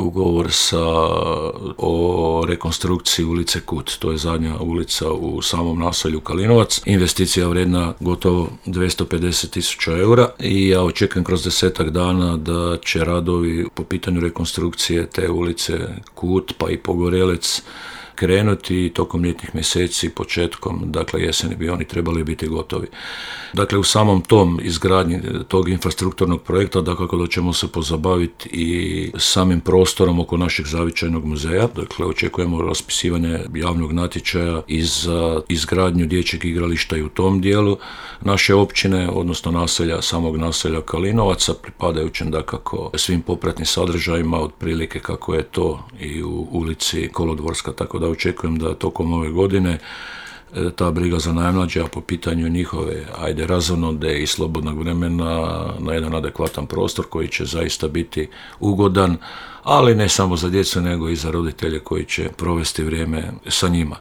ugovor o rekonstrukciji ulice Kut. To je zadnja ulica u samom naselju Kalinovac. Investicija vrijedna gotovo 250.000 eura i ja očekujem kroz 10 dana da će radovi po pitanju rekonstrukcije te ulice Kut pa i Pogorelec krenuti tokom ljetnih mjeseci, početkom, dakle jeseni bi oni trebali biti gotovi. Dakle, u samom tom izgradnji tog infrastrukturnog projekta, dakako da ćemo se pozabaviti i samim prostorom oko našeg zavičajnog muzeja. Dakle, očekujemo raspisivanje javnog natječaja i za izgradnju dječjeg igrališta i u tom dijelu naše općine, odnosno samog naselja Kalinovaca, pripadajućem dakako svim popratnim sadržajima, otprilike kako je to i u ulici Kolodvorska, tako da očekujem da tokom ove godine ta briga za najmlađe, a po pitanju njihove razonode i slobodnog vremena na jedan adekvatan prostor koji će zaista biti ugodan, ali ne samo za djecu nego i za roditelje koji će provesti vrijeme sa njima.